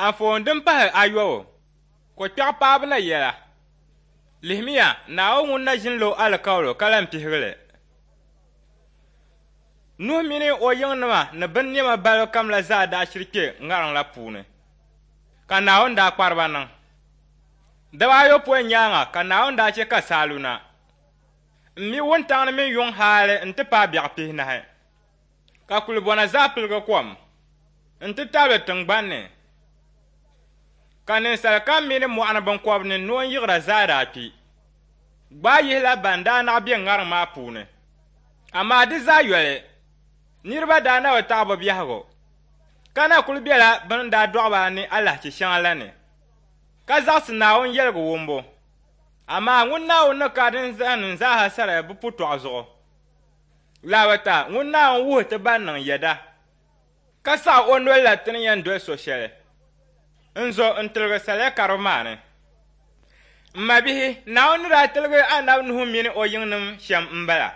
Anfooni din pahi ayɔbu, Kokpɛɣu paabu na yɛla. Lihimiya, Naawuni ŋun na ʒini lo alikauli ka lan pihigi li. Nuhu mini o yiŋnima ni binnɛma balibu kam la zaa daa shiri kpe ŋariŋ la puuni, ka Naawuni daa kpari ba niŋ. Daba ayopɔin nyaaŋa ka Naawuni daa chɛ ka saa lu na m-mi wuntaŋ ni mini yuŋ hali nti paai biɛɣu pihinahi, ka kulibɔna zaa piligi kom nti tabili tiŋgbani ni, ka ninsal kam mini mɔɣu ni biŋkɔbiri ni noon yiɣira zaa daa kpi. Gbaai yihila ban daa naɣ be ŋariŋ maa puuni. Amaa di zaa yoli, niriba daa na bi taɣi bɛ biɛhigu, ka na kul bela bɛ ni daa dɔɣi ba ni alahichi shɛŋa la ni, ka zaɣisi Naawuni yɛligu wumbu. Amaa ŋun Naawuni ni kari ninsalinim zaaha saria bɛ putɔɣu zuɣu. Lahabata, ŋun Naawuni wuhi ti ban niŋ yɛda, ka saɣi o noli la ti ni yɛn doli so shɛli n-zo n-tiligi saria karibu maa ni. M mabihi, Naawuni ni daa tiligi Anabi Nuhu mini o yiŋnim shɛm m-bala.